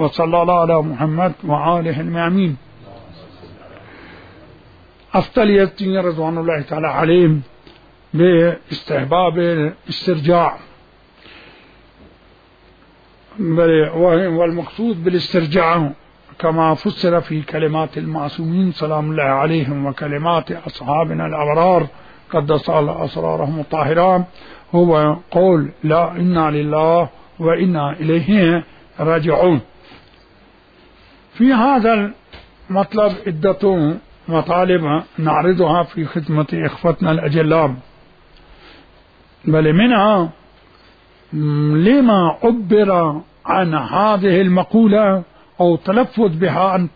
وصلى الله على محمد وآله الميامين. أفضلية رضوان الله تعالى عليهم باستحباب الاسترجاع، والمقصود بالاسترجاع كما فسر في كلمات المعصومين سلام الله عليهم وكلمات أصحابنا الأبرار قدس الله أسرارهم الطاهران هو قول لا إنا لله وإنا إليه راجعون. في هذا المطلب عدة مطالب نعرضها في خدمة إخوتنا الأجلام، بل منها لما عبر عن هذه المقولة أو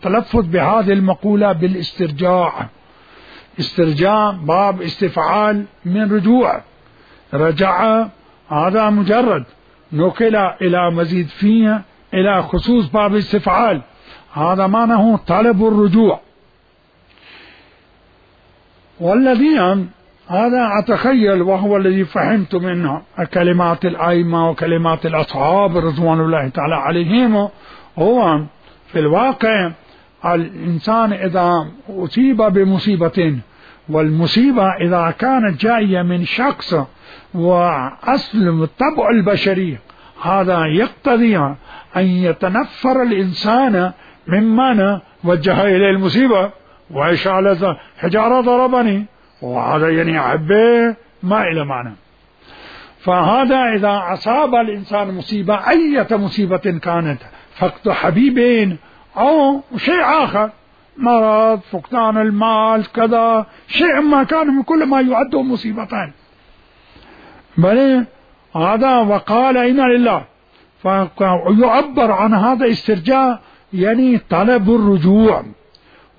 تلفظ بهذه المقولة بالاسترجاع. استرجاع باب استفعال من رجوع، رجع هذا مجرد نقل إلى مزيد فيه إلى خصوص باب استفعال، هذا معناه طلب الرجوع. والذي هذا أتخيل وهو الذي فهمت منه كلمات الأئمة وكلمات الأصحاب رضوان الله تعالى عليهم، هو في الواقع الإنسان إذا أصيب بمصيبة، والمصيبة إذا كانت جاية من شخص وأصل الطبع البشري، هذا يقتضي أن يتنفر الإنسان ممن وجه إليه المصيبة، وإيش على حجارة ضربني، وهذا يعني أحبه ما إلى معنى. فهذا إذا أصاب الإنسان مصيبة أي مصيبة كانت، فقد حبيبين أو شيء آخر، مرض، فقدان المال، كذا شيء ما كان من كل ما يعد مصيبتان، بل هذا وقال إنا لله، فيعبر عن هذا استرجاع يعني طلب الرجوع،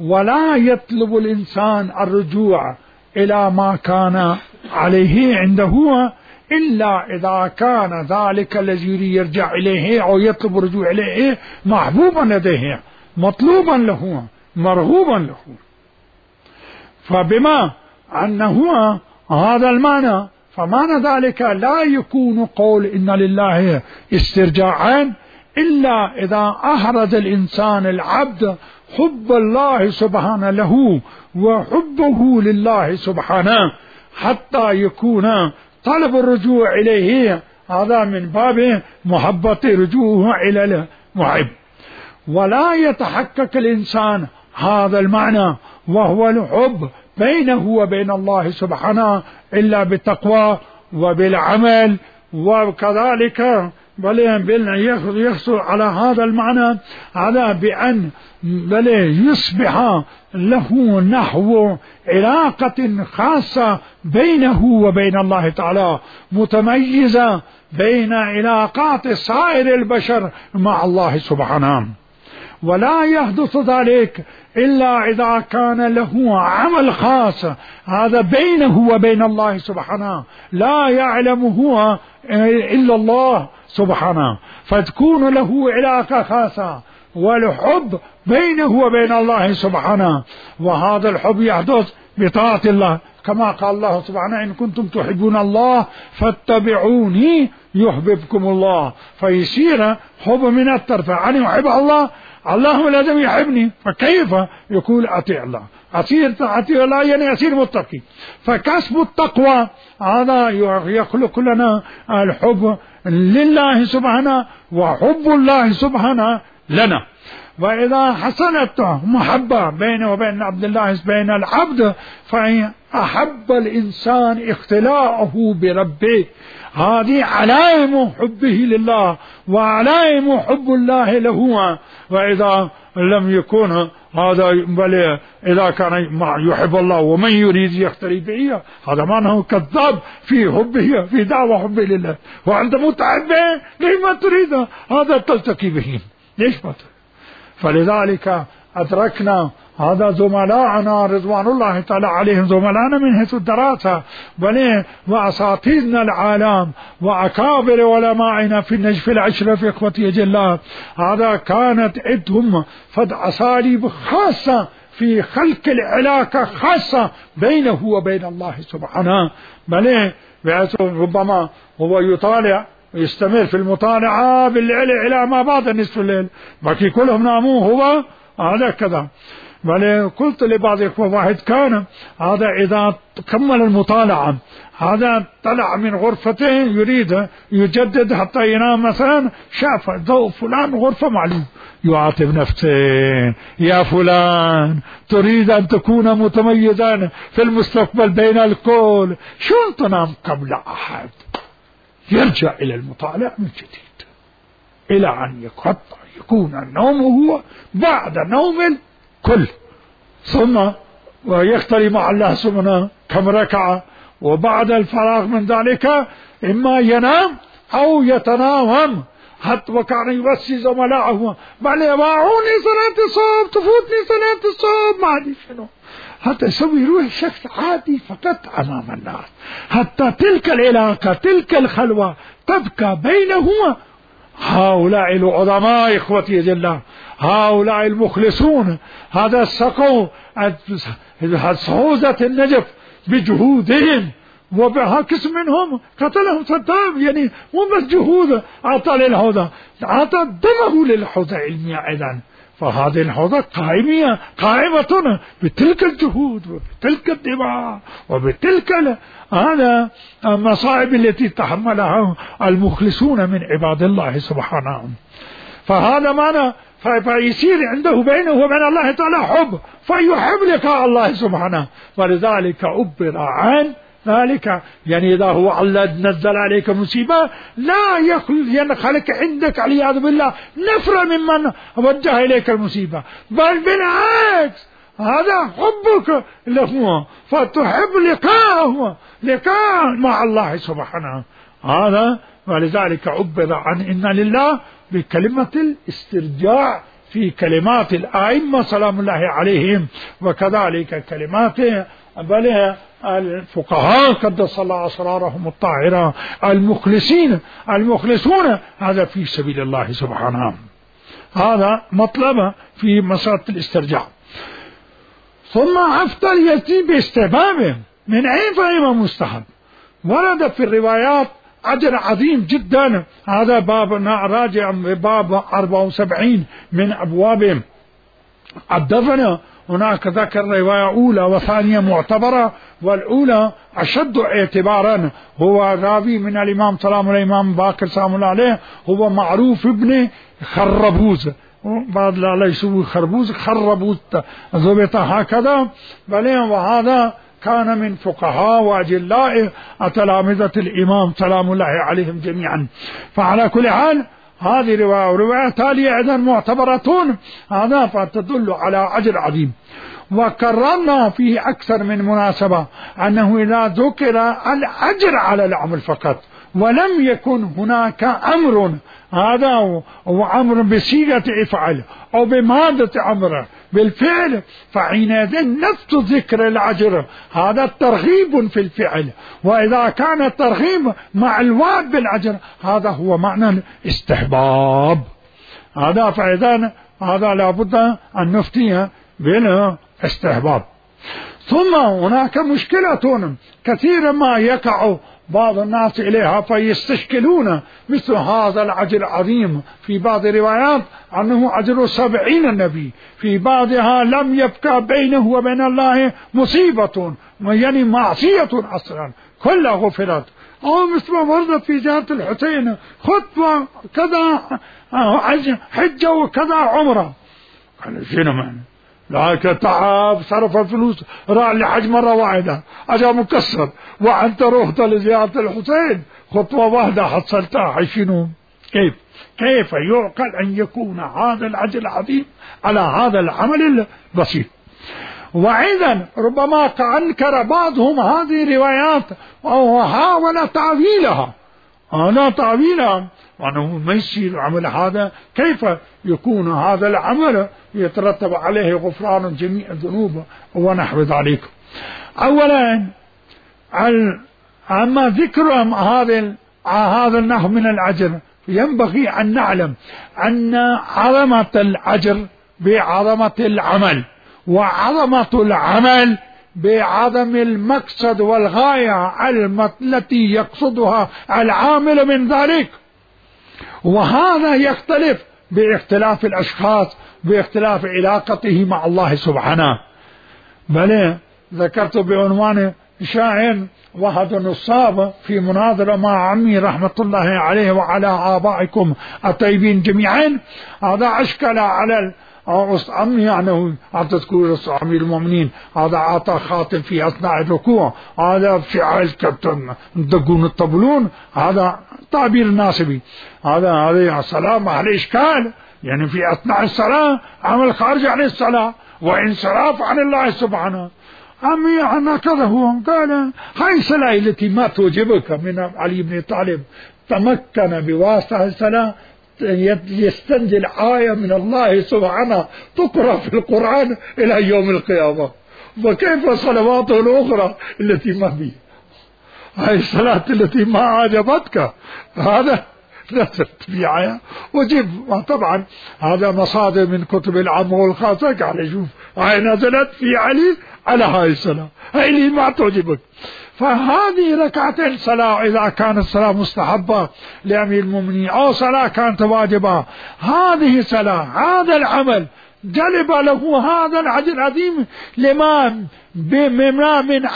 ولا يطلب الإنسان الرجوع إلى ما كان عليه عنده إلا إذا كان ذلك الذي يرجع إليه أو يطلب الرجوع إليه محبوبا لديه، مطلوبا له، مرغوبا له. فبما أنه هذا المعنى، فمعنى ذلك لا يكون قول إن لله استرجاعا إلا إذا أحرز الإنسان العبد حب الله سبحانه له وحبه لله سبحانه حتى يكون طلب الرجوع إليه هذا من باب محبة رجوعه إلى المحب. ولا يتحقق الإنسان هذا المعنى وهو الحب بينه وبين الله سبحانه إلا بالتقوى وبالعمل، وكذلك بل يحصل على هذا المعنى على بأن بل يصبح له نحو علاقة خاصة بينه وبين الله تعالى متميزة بين علاقات سائر البشر مع الله سبحانه. ولا يحدث ذلك إلا إذا كان له عمل خاص هذا بينه وبين الله سبحانه لا يعلمه إلا الله سبحانه، فتكون له علاقة خاصة والحب بينه وبين الله سبحانه، وهذا الحب يحدث بطاعة الله كما قال الله سبحانه إن كنتم تحبون الله فاتبعوني يحببكم الله. فيصير حب من الطرف، أنا أحب الله، الله لازم يحبني، فكيف يقول أطيع الله، أطيع الله يعني أصير متقي. فكسب التقوى هذا يخلق لنا الحب لله سبحانه وحب الله سبحانه لنا. وإذا حصلت محبة بينه وبين عبد الله بين العبد فإن أحب الإنسان اختلاءه بربه، هذه علائم حبه لله وعلائم حب الله له. وإذا لم يكن هذا بل إذا كان يحب الله ومن يريد يختلي به، هذا معناه كذاب في حبه في دعوة حبه لله، وأنت متعبه لما تريد هذا تلتقي به، ليش ما تريد؟ فلذلك أدركنا هذا زملاءنا رضوان الله تعالى عليهم، زملاءنا من حيث الدراسة بل وأساطيرنا العالم وأكابر علمائنا في النجف العشرة في إخوتي جلال، هذا كانت عندهم فد أساليب خاصة في خلق العلاقة خاصة بينه وبين الله سبحانه. بل ربما هو يطالع ويستمر في المطالعة بالليل إلى ما بعد نصف الليل، باقي كلهم ناموا هو هذا كذا. بل قلت لبعض واحد كان هذا إذا كمل المطالعة هذا طلع من غرفته يريد يجدد حتى ينام مثلا، شاف ضوء فلان غرفة معلوم، يعاتب نفسه: يا فلان تريد أن تكون متميزا في المستقبل بين الكل، شلون تنام قبل أحد؟ يرجع إلى المطالعة من جديد إلى أن يكون النوم هو بعد نوم الكل، ثم ويختلي مع الله سبحانه كم ركعة، وبعد الفراغ من ذلك إما ينام أو يتناوم. حتى وكان يوصي زملائه: بل يباعوني صلاة الصبح، تفوتني صلاة الصبح، ما أدري شنو، حتى يسوي روح شخص عادي فقط أمام الناس، حتى تلك العلاقة تلك الخلوة تبقى بينهما. هؤلاء العظماء إخوتي جل، هؤلاء المخلصون، هذا سقوا صعوزة النجف بجهودهم، وبعكس منهم قتلهم صدام، يعني مو بس جهود أعطى للحوضة، أعطى دمه للحوضة العلمية أيضا. فهذه الحوضة قائمة بتلك الجهود وبتلك الدماء وبتلك هذا المصائب التي تحملها المخلصون من عباد الله سبحانه. فهذا معنى فيصير عنده بينه وبين الله تعالى حب، فيحب لقاء الله سبحانه، ولذلك عبر عن ذلك. يعني إذا هو الله نزل عليك مصيبة لا ينخلق عندك عياذ بالله نفرة ممن وجه إليك المصيبة، بل بالعكس هذا حبك له، فتحب لقاء مع الله سبحانه هذا. ولذلك عبر عن إن لله بكلمة الاسترجاع في كلمات الأئمة سلام الله عليهم، وكذلك كلمات بل الفقهاء قدس الله أسرارهم الطاهرة المخلصون، هذا في سبيل الله سبحانه. هذا مطلب في مسألة الاسترجاع. ثم أفضل يأتي باستحبابه. من أين فهم مستحب؟ ورد في الروايات أجر عظيم جدا، هذا باب راجع باب 74 من أبواب الدفن. هناك ذكر رواية أولى وثانية معتبرة، والأولى أشد اعتبارا. هو راوي من الإمام سلام الإمام باكر سلام الله عليه، هو معروف ابن خربوز، بعد لا يسوي خربوز ضبط هكذا. بل وهذا كان من فقهاء وأجلاء تلامذة الإمام سلام الله عليهم جميعا. فعلى كل حال هذه رواية ورواية تالية أيضا معتبرة، هذا فتدل على أجر عظيم. وكررنا فيه أكثر من مناسبة أنه إذا ذكر الأجر على العمل فقط ولم يكن هناك أمر، هذا وأمر بصيغة افعل أو بمادة أمر بالفعل، فحينئذ نفس ذكر الأجر هذا ترغيب في الفعل. وإذا كان الترغيب مع الوعد بالأجر هذا هو معنى الاستحباب. هذا فإذا هذا لابد أن نفتيه بالاستحباب. ثم هناك مشكلة كثيرا ما يقع بعض الناس إليها فيستشكلون مثل هذا الأجر العظيم. في بعض الروايات أنه أجر 70 النبي، في بعضها لم يبقى بينه وبين الله مصيبة، يعني معصية أصلا كلها غفرت. أو مثل ما ورد في زيارة الحسين خطوة كذا حجة وكذا عمرة، قال شنو معنى؟ لكن تعب صرف الفلوس راح لحج مرة واحدة أجا مكسر، وأنت رحت لزيارة الحسين خطوة واحدة حصلتها، شنو؟ كيف يعقل أن يكون هذا الأجر العظيم على هذا العمل البسيط؟ وأيضا ربما أنكر بعضهم هذه الروايات أو حاول تعويلها، وأنه ما يصير عمل هذا، كيف يكون هذا العمل يترتب عليه غفران جميع الذنوب ونحو ذلك. أولا أما ذكر هذا النحو من الأجر، ينبغي أن نعلم أن عظمة الأجر بعظمة العمل، وعظمة العمل بعدم المقصد والغاية التي يقصدها العامل من ذلك. وهذا يختلف باختلاف الأشخاص، باختلاف علاقته مع الله سبحانه. بل ذكرت بعنوان شاعر وهد النصاب في مناظرة مع عمي رحمة الله عليه وعلى آبائكم الطيبين جميعا. هذا أشكل على عمي، يعني تذكر أمير المؤمنين، هذا أعطى خاتم في أثناء الركوع، هذا فعل دقون الطبلون، هذا تعبير ناسبي، هذا الصلاة مع الإشكال، يعني في أثناء الصلاة عمل خارج عن الصلاة وانصراف عن الله سبحانه. عمي عنا كذا هو قال هاي الصلاة التي ما توجبك من علي بن طالب تمكن بواسطة الصلاة يستنزل آية من الله سبحانه تقرأ في القرآن إلى يوم القيامة، وكيف صلواته الأخرى التي ما بي؟ هاي الصلاة التي ما عجبتك هذا نزلت بيعها وجيب. طبعا هذا مصادر من كتب العامة والخاصة، قال شوف هاي نزلت في علي على هاي الصلاة، هاي اللي ما تعجبك. فهذه ركعتين صلاة إذا كانت الصلاة مستحبة لأمير المؤمنين أو صلاة كانت واجبة، هذه صلاة، هذا العمل جلب له هذا الأجر العظيم لما من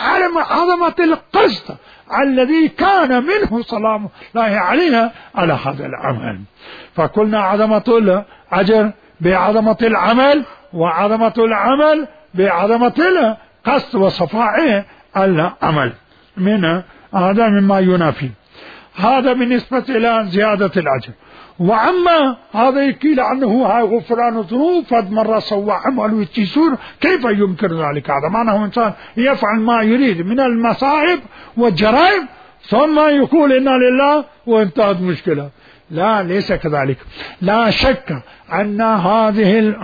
عظمة القصد الذي كان منه سلام الله علينا على هذا العمل. فقلنا عظمة الأجر بعظمة العمل، وعظمة العمل بعظمة القصد وصفاء العمل، من هذا مما ينافي. هذا بالنسبة إلى زيادة الأجر. وعما هذا يقيل عنه غفران الذنوب، فد مرة سوى عمل ويتيسور، كيف يمكن ذلك؟ هذا معناه إنسان يفعل ما يريد من المصائب والجرائم ثم يقول إنا لله وانتهت مشكلة. لا، ليس كذلك. لا شك أن هذه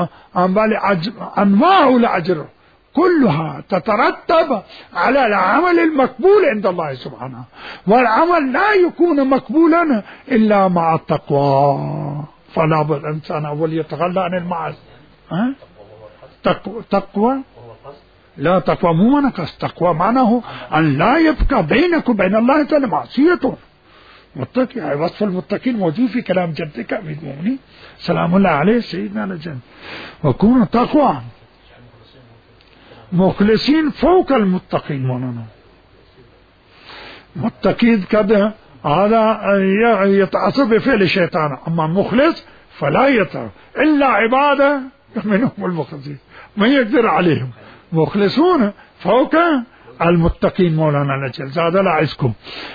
أنواع الأجر كلها تترتب على العمل المقبول عند الله سبحانه، والعمل لا يكون مقبولا إلا مع التقوى. فلا بد الإنسان أول يتخلى عن المعاصي. تقوى لا، تقوى مو منقص، تقوى معناه أن لا يبقى بينك وبين الله تعالى معصيته. متقي، وصف المتقين موجود في كلام جدك أمير المؤمنين سلام الله عليه سيدنا الجنة. وكون تقوى مخلصين فوق المتقين، مولانا متقين كذا هذا يتعصب بفعل الشيطان، أما مخلص فلا يتعصب إلا عبادة منهم المخلصين ما يقدر عليهم. مخلصون فوق المتقين مولانا نجل زاد لا عزكم.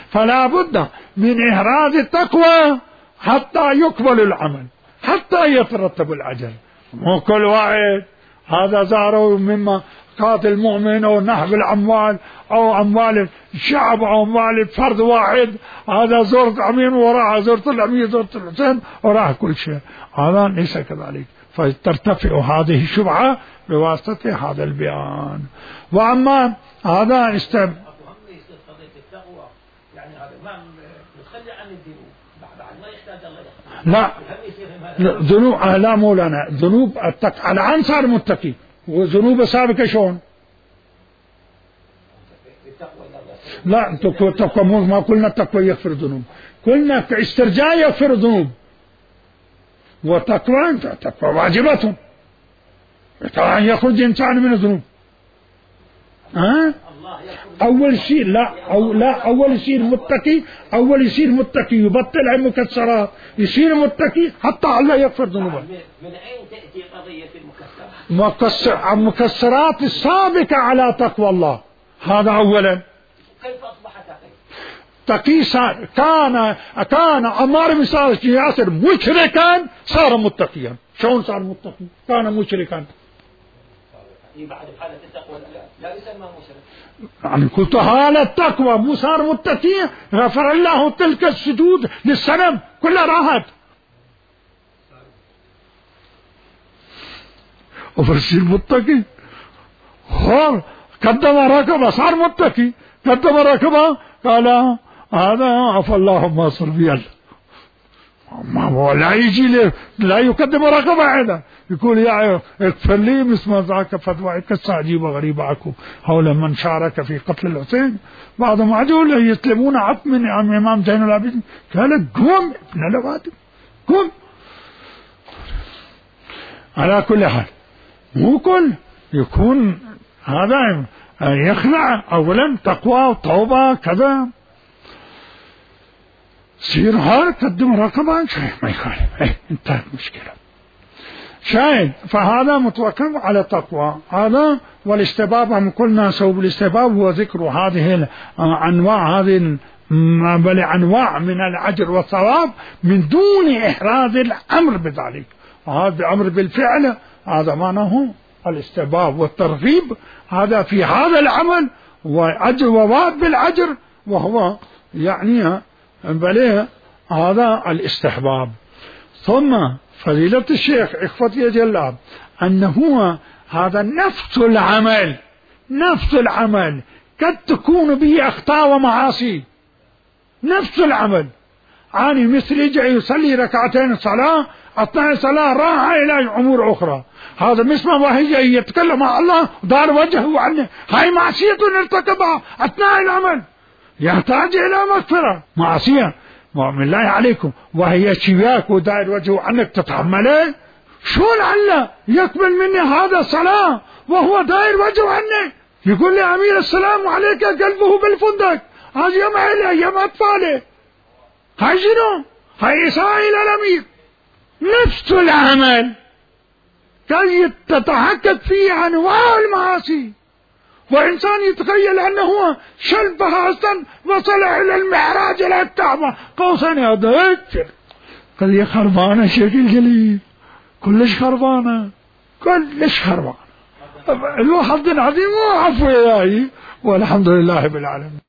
فلا بد من إحراز التقوى حتى يقبل العمل، حتى يترتب الأجر. مو كل واحد هذا زاره مما قاتل المؤمن أو نحب الأموال أو أموال الشعب أو أموال فرد واحد، هذا زرت أمين وراء زرت الأمير زرت الحسين وراء كل شيء، هذا ليس كذلك. فترتفع هذه الشبهة بواسطة هذا البيان. وأما هذا يعني هذا ما نتخلى عن الذنوب بعد ما يحتاج الله لا ذنوب لا مولانا، ذنوب الآن صار متقي، وذنوب سابقة شلون؟ لا تقوى ما قلنا التقوى يغفر الذنوب، قلنا استرجاع يغفر الذنوب، وتقوى واجبة طبعا يخرج إنسان من الذنوب. أول شيء أول يصير متقي، أول يصير متقي يبطل عن مكسرات، يصير متقي حتى الله يغفر ذنوبه. من أين تأتي قضية المكسرات؟ المكسرات السابقة على تقوى الله، هذا أولا. كيف أصبح تقي؟ كان عمار بن ياسر مشركا صار متقيا. شلون صار متقي؟ كان مشركا. بعد حالة التقوى لا يسمى مشرك. يعني قلت حالة التقوى مو صار متقيا، غفر الله تلك السجود للصنم كلها راحت. وفرسير متقي قدم ركبه صار متقي، قدم ركبه قال هذا عفى الله ما صار بي، ما هو لا يجي لا يقدم رقبة هذا يقول يا اغفر لي مثل ما ذاك فتوى قصة عجيبة غريبة عكو حول من شارك في قتل الحسين. بعضهم عدول يسلمون عط من إمام زين العابدين قال قوم ابن الأوادم على كل حال مو كل يكون هذا يخلع أولا تقوى وتوبة كذا، سير هار قدم رقبة ما يخالف، انتهت مشكلة. شاهد فهذا متوكل على تقوى هذا. والاستباب هم قلنا سبب الاستباب هو ذكر هذه الأنواع، هذه بل أنواع من الأجر والثواب من دون إحراز الأمر بذلك، وهذا أمر بالفعل هذا معناه الاستباب والترغيب هذا في هذا العمل وأجر وواب بالأجر، وهو يعني بل هذا الاستحباب. ثم فضيلة الشيخ إخوتي يجلاب أنه هذا نفس العمل قد تكون به أخطاء ومعاصي، نفس العمل عاني مثل يجي يصلي ركعتين صلاة أثناء صلاة راح إلى أمور أخرى، هذا مثل ما هي يتكلم مع الله دار وجهه عنه، هاي معصية ارتكبها أثناء العمل يحتاج إلى مغفرة، معصية من الله عليكم، وهي شباك ودائر وجهه عنك تتحمله، شو لعله يقبل مني هذا الصلاة وهو دائر وجهه عنه، يقول لي أمير السلام عليك قلبه بالفندق، هذا يوم عيله يوم أطفاله، هاي شنو؟ هاي إساءة إلى الأمير. نفس العمل قد تتحقق فيه أنواع المعاصي، وإنسان يتخيل أنه شلبها أصلا وصل إلى المعراج إلى الكعبة قوسين هذا قضية خربانة شكل جليل، كلش خربانة الواحد عظيم وعفو إلهي والحمد لله بالعالمين.